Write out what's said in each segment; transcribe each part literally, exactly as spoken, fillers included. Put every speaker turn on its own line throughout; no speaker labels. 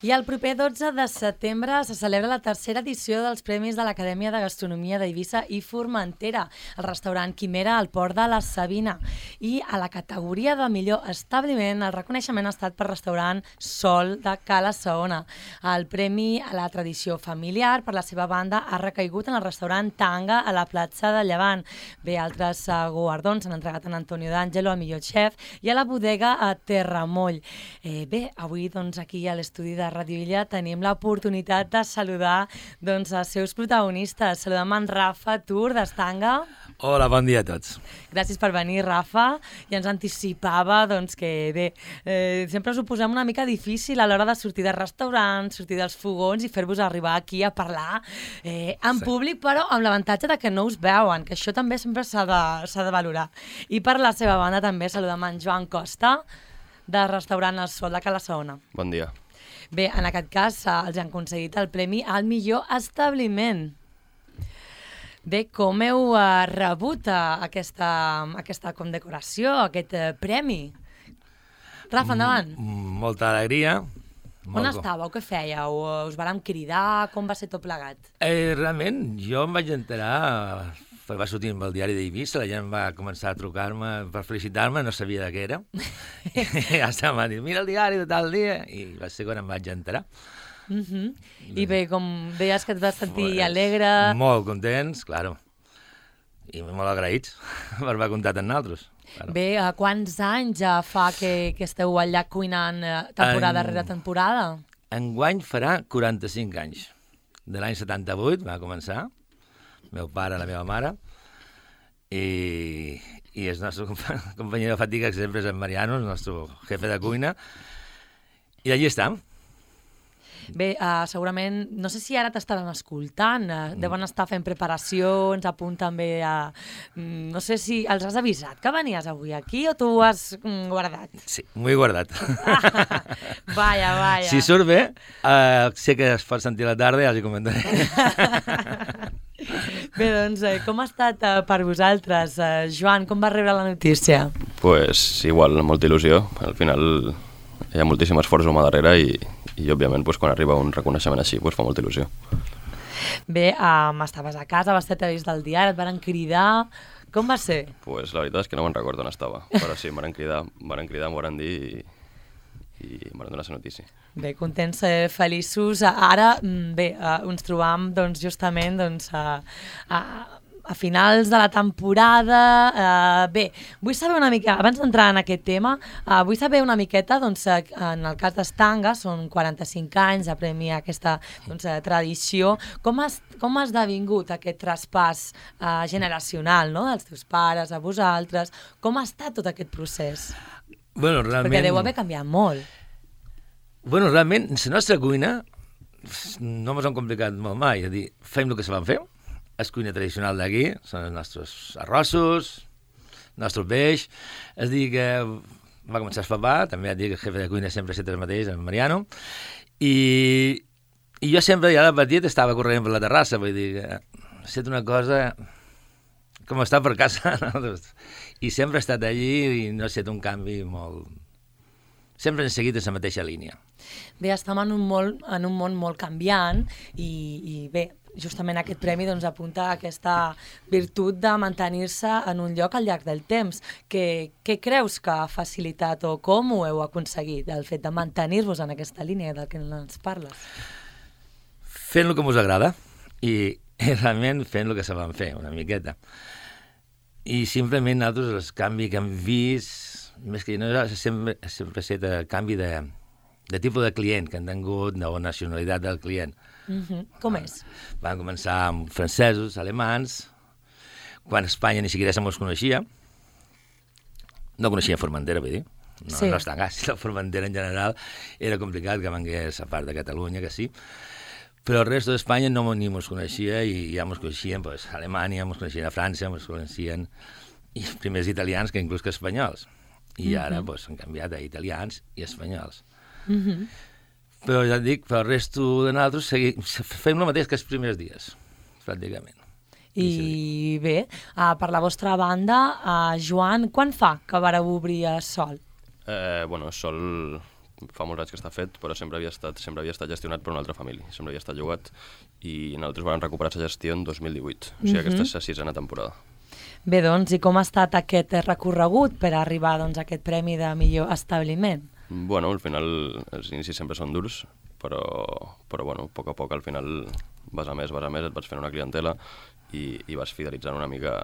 I el proper dotze de setembre se celebra la tercera edició dels Premis de l'Acadèmia de Gastronomia d'Eivissa i Formentera, el restaurant Quimera al Port de la Sabina. I a la categoria de millor establiment, el reconeixement ha estat per restaurant Sol de Cala Saona. El premi a la tradició familiar, per la seva banda, ha recaigut en el restaurant Tanga a la platja de Llevant. Bé, altres uh, guardons s'han entregat a Antonio D'Angelo, al millor xef, i a la bodega a Terramoll. Eh, bé, avui doncs, aquí a l'estudi de Radio Illa tenim l'oportunitat de saludar doncs, els seus protagonistes. Saludem en Rafa Tur, d'Estanga.
Hola, bon dia a tots.
Gràcies per venir, Rafa. I ens anticipava doncs, que bé, eh, sempre us ho posem una mica difícil a l'hora de sortir de restaurants, sortir dels fogons i fer-vos arribar aquí a parlar eh, en sí. públic, però amb l'avantatge de que no us veuen, que això també sempre s'ha de, s'ha de valorar. I per la seva banda també saludem en Joan Costa, del restaurant El Sol de Cala Saona.
Bon dia.
Bé, en aquest cas els han concedit el premi al millor establiment. Bé, com heu uh, rebut uh, aquesta, aquesta condecoració, aquest uh, premi? Rafa, endavant.
M molta alegria.
On
molt
estàveu? Què fèieu? Us vàrem cridar? Com va ser tot plegat?
Eh, realment, jo em vaig enterar, va sortir amb el diari d'Eivissa, la gent va començar a trucar-me per felicitar-me, no sabia de què era. I ja estava a dir, mira el diari de tal dia, i va ser quan em vaig enterar.
Uh -huh. I bé, com deies que et vas sentir pues, alegre...
Molt contents, claro. I molt agraïts per haver comptat amb nosaltres. Claro.
Bé, uh, quants anys ja fa que, que esteu allà cuinant uh, temporada en... rere temporada?
Enguany farà quaranta-cinc anys. De l'any setanta-vuit va començar, meu pare, la meva mare, i, i el nostre company de fatiga, que sempre és en Mariano, el nostre jefe de cuina, i allí estem.
Bé, uh, segurament, no sé si ara t'estaran escoltant, uh, deuen estar fent preparacions, a punt també a... Mm, no sé si els has avisat que venies avui aquí o tu ho has mm, guardat?
Sí, m'ho he guardat.
Ah, vaya, vaya.
Si surt bé, uh, sé que es pot sentir a la tarda i els hi comentaré.
Bé, doncs, eh, com ha estat eh, per vosaltres? Eh, Joan, com vas rebre la notícia?
Pues igual, amb molta il·lusió. Al final hi ha moltíssim esforç humà darrere i, i òbviament, pues, quan arriba un reconeixement així, pues, fa molta il·lusió.
Bé, um, estaves a casa, vas tenir vist del diari, et van cridar... Com va ser?
Pues la veritat és que no me'n recordo on estava, però sí, em van cridar, em van cridar, em van dir i, i em van donar la notícia.
Bé, contents, eh, feliços. Ara, bé, eh, ens trobam doncs, justament doncs, a, a, a finals de la temporada. Eh, bé, vull saber una mica, abans d'entrar en aquest tema, eh, vull saber una miqueta, doncs, eh, en el cas d'Estanga, són quaranta-cinc anys a premiar aquesta doncs, eh, tradició. Com has, com ha esdevingut aquest traspàs eh, generacional, no?, dels teus pares a vosaltres? Com ha estat tot aquest procés?
Bueno, realment...
Perquè deu haver canviat molt.
Bueno, realment, la nostra cuina no ens hem complicat molt mai. És a dir, fem el que se van fer. És cuina tradicional d'aquí, són els nostres arrossos, el nostre peix. És a dir, que va començar el papà, també et dic que el jefe de cuina sempre ha estat el mateix, el Mariano, i, i jo sempre, ja de petit, estava corrent per la terrassa, vull dir que ha estat una cosa com estar per casa, no? I sempre he estat allí i no ha estat un canvi molt... Sempre hem seguit en la mateixa línia.
Bé, estem en un, molt, en un món molt canviant i, i bé, justament aquest premi doncs, apunta a aquesta virtut de mantenir-se en un lloc al llarg del temps. Què, què creus que ha facilitat o com ho heu aconseguit, el fet de mantenir-vos en aquesta línia del que ens parles?
Fent el que us agrada i, i realment fent el que se van fer, una miqueta. I simplement nosaltres el canvi que hem vist, més que no, sempre, sempre ha estat el canvi de, de tipus de client que han tingut, de la nacionalitat del client.
Uh-huh. Com és?
Van començar amb francesos, alemans, quan a Espanya ni siquiera se mos coneixia. No coneixia Formentera, vull dir. No, sí. No està gas, la Formentera en general era complicat que vengués a part de Catalunya, que sí. Però el resto d'Espanya no ni mos coneixia i ja mos coneixien pues, a Alemanya, mos coneixien a França, mos coneixien i els primers italians que inclús que espanyols. I ara uh-huh. pues, han canviat a italians i espanyols.
Uh-huh.
Però ja et dic, pel resto de nosaltres segui, fem el mateix que els primers dies, pràcticament.
I, I bé, uh, per la vostra banda, uh, Joan, quan fa que vareu obrir a Sol?
Eh, bueno, Sol fa molts anys que està fet, però sempre havia estat, sempre havia estat gestionat per una altra família, sempre havia estat llogat, i nosaltres vam recuperar la gestió en dos mil divuit, o sigui, mm-hmm. aquesta és la sisena temporada.
Bé, doncs, i com ha estat aquest recorregut per arribar doncs, a aquest premi de millor establiment?
Bueno, al final els inicis sempre són durs, però, però bueno, a poc a poc al final vas a més, vas a més, et vas fent una clientela i, i vas fidelitzant una mica,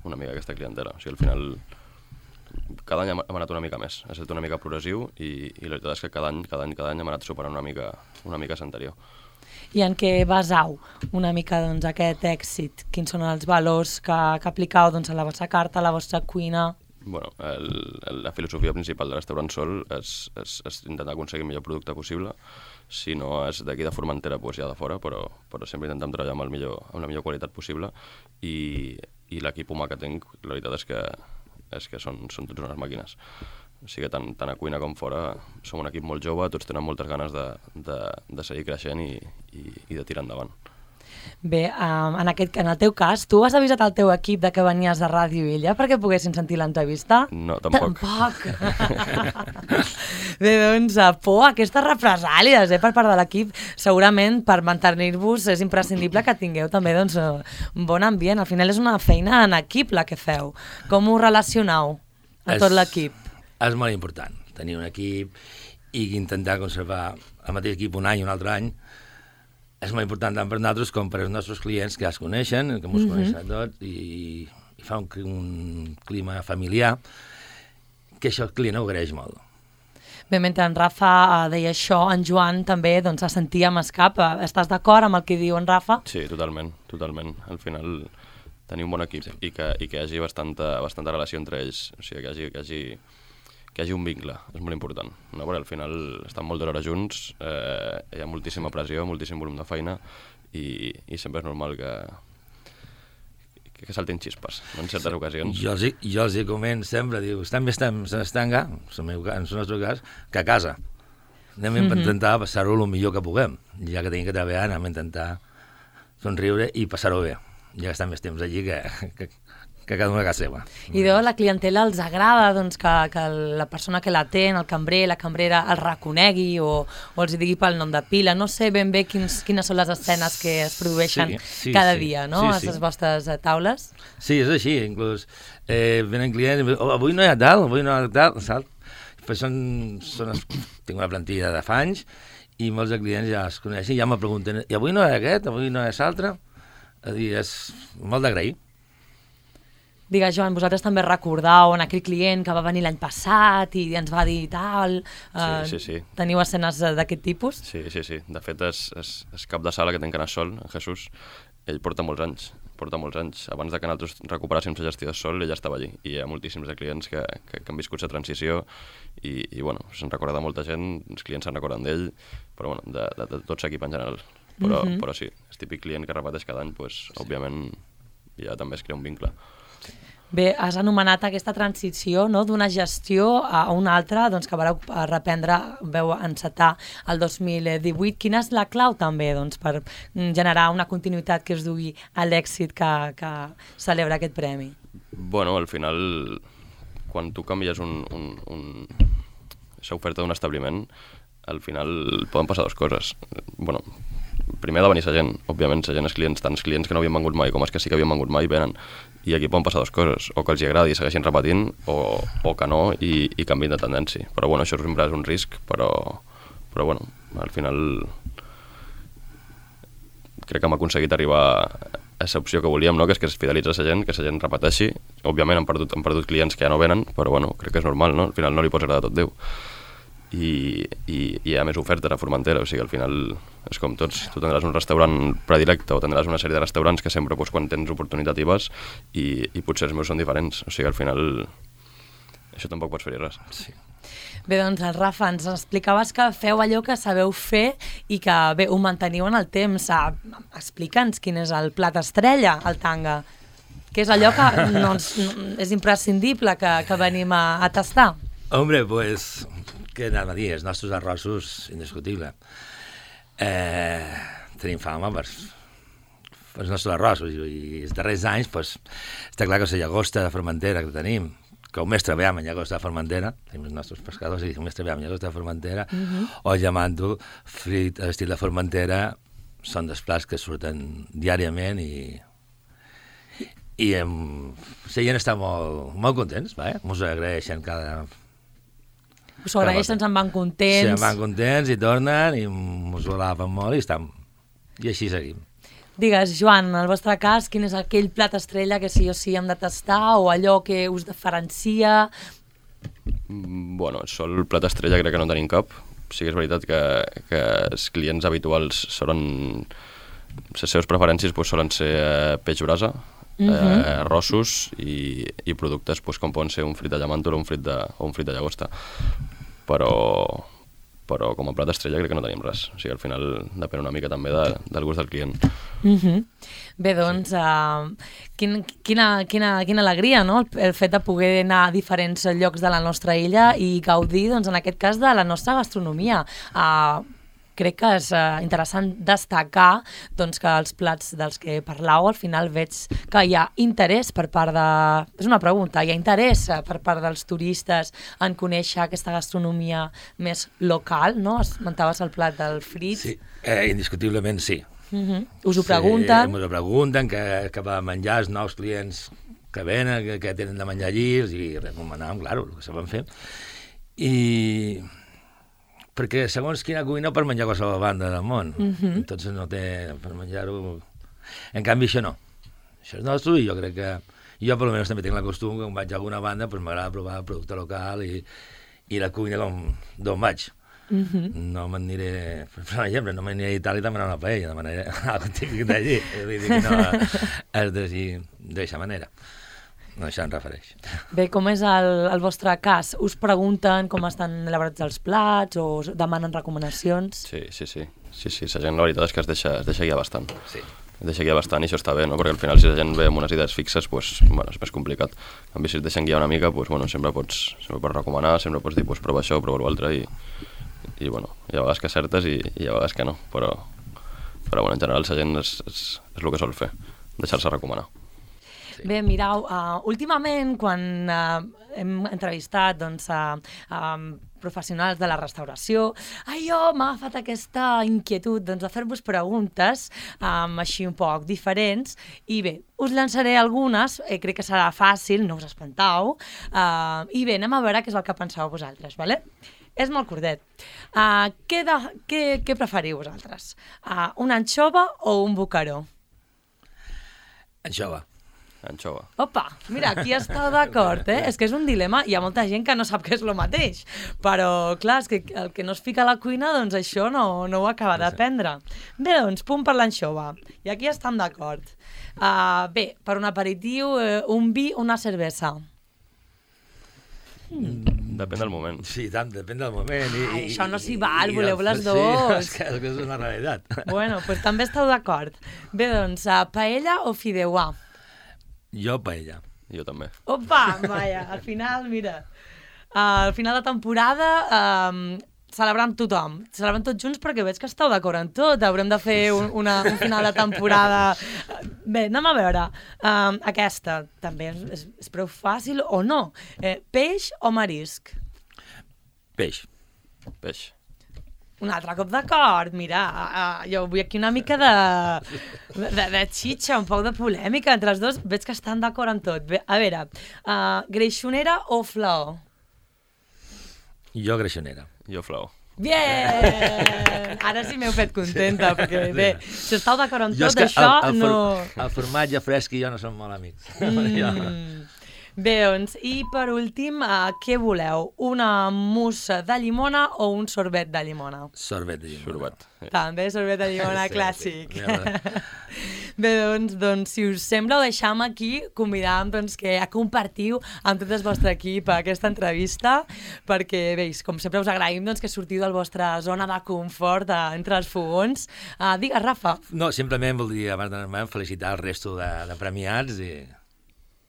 una mica aquesta clientela. O sigui, al final cada any hem, hem anat una mica més, ha estat una mica progressiu i, i la veritat és que cada any, cada any, cada any hem anat superant una mica, una mica l'anterior.
I en què basau una mica doncs, aquest èxit? Quins són els valors que, que aplicau doncs, a la vostra carta, a la vostra cuina?
Bueno, el, el, la filosofia principal del restaurant Sol és, és, és intentar aconseguir el millor producte possible. Si no és d'aquí de Formentera, doncs ja de fora, però, però sempre intentem treballar amb, el millor, amb la millor qualitat possible i, i l'equip humà que tinc, la veritat és que, és que són, són tots unes màquines. O sigui que tant, tant a cuina com fora som un equip molt jove, tots tenen moltes ganes de, de, de seguir creixent i, i, i de tirar endavant.
Bé, um, en, aquest, en el teu cas, tu has avisat al teu equip de que venies de Ràdio Illa perquè poguessin sentir l'entrevista?
No, tampoc.
Tampoc! Bé, doncs, por, aquestes represàlies eh, per part de l'equip, segurament per mantenir-vos és imprescindible que tingueu també doncs, un bon ambient. Al final és una feina en equip la que feu. Com us relacioneu a tot l'equip?
És molt important tenir un equip i intentar conservar el mateix equip un any i un altre any. És molt important tant per nosaltres com per als nostres clients que ja es coneixen, que ens mm-hmm. coneixen tots, i, i fa un, un clima familiar, que això el client ho agraeix molt.
Bé, mentre en Rafa deia això, en Joan també doncs, se sentia amb escap. Estàs d'acord amb el que diu en Rafa?
Sí, totalment, totalment. Al final tenir un bon equip sí. i, que, i que hi hagi bastanta, bastanta relació entre ells, o sigui, que hi hagi... Que hi hagi que hi hagi un vincle, és molt important, no? Perquè al final estan moltes hores junts, eh, hi ha moltíssima pressió, moltíssim volum de feina i, i sempre és normal que, que, que saltin xispes, no? En certes ocasions.
Jo els, jo els hi comento sempre, diu, estan més temps a l'estanga, en el nostre cas, que a casa. Anem mm-hmm. a intentar passar-ho el millor que puguem, ja que tenim que treballar, anem a intentar somriure i passar-ho bé, ja que estan més temps allí que... que que cada una a casa seva.
I de la clientela els agrada doncs, que, que la persona que l'atén, el cambrer, la cambrera, el reconegui o, o els digui pel nom de pila. No sé ben bé quins, quines són les escenes que es produeixen sí, sí, cada sí. dia, no?, sí, sí. a les vostres taules.
Sí, és així. Inclús eh, venen clients i diuen, oh, avui no hi ha tal, avui no hi ha tal, saps? Pues són, són, tinc una plantilla de fa anys i molts de clients ja es coneixen i ja me pregunten, i avui no hi ha aquest, avui no hi ha l'altre? És dir, és molt d'agrair.
Digues, Joan, vosaltres també recordeu en aquell client que va venir l'any passat i ens va dir tal...
Uh, sí, sí, sí.
Teniu escenes d'aquest tipus?
Sí, sí, sí. De fet, és, és, és cap de sala que tenc anar sol, en Jesús. Ell porta molts anys, porta molts anys. Abans de que nosaltres recuperàssim la gestió de sol, ell ja estava allí. I hi ha moltíssims de clients que, que, que han viscut la transició i, i bueno, se'n recorda de molta gent, els clients se'n recorden d'ell, però bueno, de, de, de tot l'equip en general. Però, mm-hmm. però sí, el típic client que repeteix cada any, pues, sí. òbviament, ja també es crea un vincle.
Bé, has anomenat aquesta transició, no?, d'una gestió a una altra doncs, que vareu reprendre, veu encetar el dos mil divuit. Quina és la clau també doncs, per generar una continuïtat que es dugui a l'èxit que, que celebra aquest premi?
Bueno, al final, quan tu canvies un, un, un... l'oferta d'un establiment, al final poden passar dues coses. Bueno, primer ha de venir la gent, òbviament, la gent és clients, tant els clients que no havien vengut mai com els que sí que havien vengut mai venen. I aquí poden passar dues coses, o que els hi agradi i segueixin repetint, o, o que no i, i canviïn de tendència. Però bueno, això sempre és un risc, però, però bueno, al final crec que hem aconseguit arribar a l'opció que volíem, no? Que és que es fidelitza la gent, que la gent repeteixi. Òbviament han perdut, han perdut clients que ja no venen, però bueno, crec que és normal, no? Al final no li pots agradar tot Déu. I, i, i hi ha més ofertes a Formentera, o sigui, al final és com tots, tu tindràs un restaurant predilecte o tindràs una sèrie de restaurants que sempre, doncs, quan tens oportunitat hi vas i, i potser els meus són diferents, o sigui, al final això tampoc pots fer-hi res. Sí.
Bé, doncs, Rafa, ens explicaves que feu allò que sabeu fer i que, bé, ho manteniu en el temps. Explica'ns quin és el plat estrella, el tanga, que és allò que no, és imprescindible que, que venim a, a tastar.
Hombre, pues... que anava a dir, els nostres arrossos, indiscutible. Eh, tenim fama per, per els nostres arrossos i, i els darrers anys, pues, està clar que la llagosta de Formentera que tenim, que el més treballem en llagosta de Formentera, tenim els nostres pescadors i el més treballem en llagosta de Formentera,
Uh -huh.
o llamant-ho frit a l'estil de Formentera, són dels plats que surten diàriament i i em, la gent està molt, molt contents, va, eh? Mos agraeixen cada...
Us ho agraeixen, se'n van contents.
Se'n van contents i tornen i mos ho alaben molt i estan... I així seguim.
Digues, Joan, en el vostre cas, quin és aquell plat estrella que sí o sí hem de tastar o allò que us diferencia?
Mm, Bueno, sol plat estrella crec que no tenim cap. Sí que és veritat que, que els clients habituals solen... Les seves preferències pues, solen ser eh, peix brasa, uh -huh. eh, arrossos i, i productes pues, com poden ser un frit de llamàntol o un frit de, o un frit de llagosta. Però, però com a plat estrella crec que no tenim res. O sigui, al final depèn una mica també de, del gust del client.
Uh -huh. Bé, doncs, sí. uh, quin, quina, quina, quina alegria, no?, el, el fet de poder anar a diferents llocs de la nostra illa i gaudir, doncs, en aquest cas, de la nostra gastronomia. Uh, crec que és uh, interessant destacar doncs, que els plats dels que parlau al final veig que hi ha interès per part de... És una pregunta, hi ha interès per part dels turistes en conèixer aquesta gastronomia més local, no? Esmentaves el plat del frit.
Sí, eh, indiscutiblement sí.
Uh-huh. Us ho pregunten?
Sí, us ho pregunten, que, que va menjar els nous clients que venen, que, que tenen de menjar allí, i recomanàvem, claro, el que sabem fer. I... perquè segons quina cuina per menjar qualsevol banda del món, uh-huh. entonces no té per menjar-ho... En canvi això no, això és nostre i jo crec que... Jo per almenys també tinc la costum que quan vaig a alguna banda pues, m'agrada provar el producte local i, i la cuina d'on vaig. Uh-huh. No m'aniré, per exemple, no m'aniré a Itàlia a demanar una paella, demanaré algo típic d'allí, vull dir que no és d'aquesta manera. No, això em refereix.
Bé, com és el, el vostre cas? Us pregunten com estan elaborats els plats o us demanen recomanacions?
Sí, sí, sí. Sí, sí, la gent la veritat és que es deixa, es deixa guiar bastant.
Sí.
Es deixa guiar bastant i això està bé, no? Perquè al final si la gent ve amb unes idees fixes, pues, bueno, és més complicat. En canvi, si es deixen guiar una mica, pues, bueno, sempre pots, sempre pots recomanar, sempre pots dir, pues, prova això, prova l'altre i, i bueno, hi ha vegades que acertes i, i hi ha vegades que no, però, però bueno, en general la gent és, és, és el que sol fer, deixar-se recomanar.
Sí. Bé, mireu, uh, últimament quan uh, hem entrevistat doncs, uh, uh, professionals de la restauració, jo m'ha agafat aquesta inquietud doncs, de fer-vos preguntes um, així un poc diferents i bé, us llançaré algunes, eh, crec que serà fàcil, no us espantau, uh, i bé, anem a veure què és el que penseu vosaltres, vale? És molt curtet. Uh, què, de, què, què preferiu vosaltres? Uh, una anxova o un bocaró?
Anxova.
Anxova.
Opa, mira, aquí esteu d'acord, eh? És que és un dilema, hi ha molta gent que no sap què és el mateix, però clar, és que el que no es fica a la cuina, doncs això no, no ho acaba d'aprendre. Bé, doncs, punt per l'anxova, i aquí estem d'acord. Uh, bé, per un aperitiu, uh, un vi, una cervesa.
Mm. Depèn del moment.
Sí, tant, depèn del moment. I,
Ai,
i,
això no s'hi val,
i,
voleu
i,
les
sí,
dues.
És que, és que és una realitat.
Bueno, doncs pues també esteu d'acord. Bé, doncs, uh, paella o fideuà?
Jo, paella.
Jo també.
Opa, vaja, al final, mira, uh, al final de temporada um, celebrant tothom, celebrant tots junts perquè veig que esteu d'acord en tot, haurem de fer un, una, un final de temporada. Bé, anem a veure, um, aquesta també és, és, és prou fàcil o no? Eh, peix o marisc?
Peix.
Peix.
Un altre cop d'acord, mira, uh, jo vull aquí una mica de, de, de xitxa, un poc de polèmica entre els dos, veig que estan d'acord en tot. Bé, a veure, uh, greixonera o flor?
Jo greixonera.
Jo flau.
Bien! Ara sí m'heu fet contenta, perquè bé, si esteu d'acord en
Jo
tot això,
el, el,
no...
el formatge fresc i jo no som molt amics.
Mm. Bé, doncs, i per últim, uh, què voleu? Una mousse de llimona o un sorbet de llimona?
Sorbet de llimona.
Sorbet. Sí.
També sorbet de llimona
Sí,
clàssic.
sí.
Bé, doncs, doncs, si us sembla, ho deixam aquí, convidam doncs, que compartiu amb tot el vostre equip aquesta entrevista, perquè, veus, com sempre us agraïm doncs, que sortiu de la vostra zona de confort uh, entre els fogons. Uh, digues, Rafa.
No, simplement voldria, abans d'anar, felicitar el resto de, de premiats i...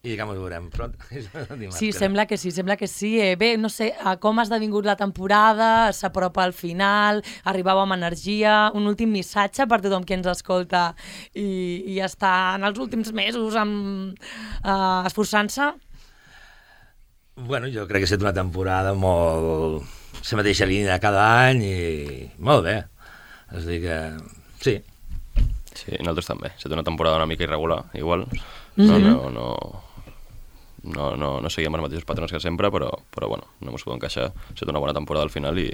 I que ens veurem pront.
Sí, sembla que sí, sembla que sí. Eh, bé, no sé, com ha esdevingut la temporada, s'apropa al final, arribau amb energia, un últim missatge per tothom que ens escolta i, i està en els últims mesos amb, uh, esforçant-se?
Bueno, jo crec que ha estat una temporada molt... la mateixa línia cada any i molt bé. És a dir que... Sí.
Sí, nosaltres també. Ha estat una temporada una mica irregular, igual. No,
Mhm.
no, no, no, no, no seguíem els mateixos patrons que sempre, però, però bueno, no mos podem queixar. Ha estat una bona temporada al final i,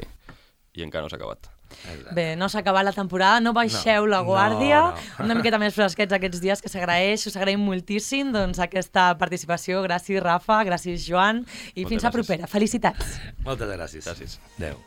i encara no s'ha acabat.
Exacte.
Bé, no s'ha acabat la temporada, no baixeu
No,
la guàrdia,
no, no.
una miqueta més fresquets aquests dies, que s'agraeix, us agraïm moltíssim doncs, aquesta participació. Gràcies, Rafa, gràcies, Joan, i
Moltes
fins la
gràcies.
propera. Felicitats!
Moltes gràcies.
Gràcies.
Adéu.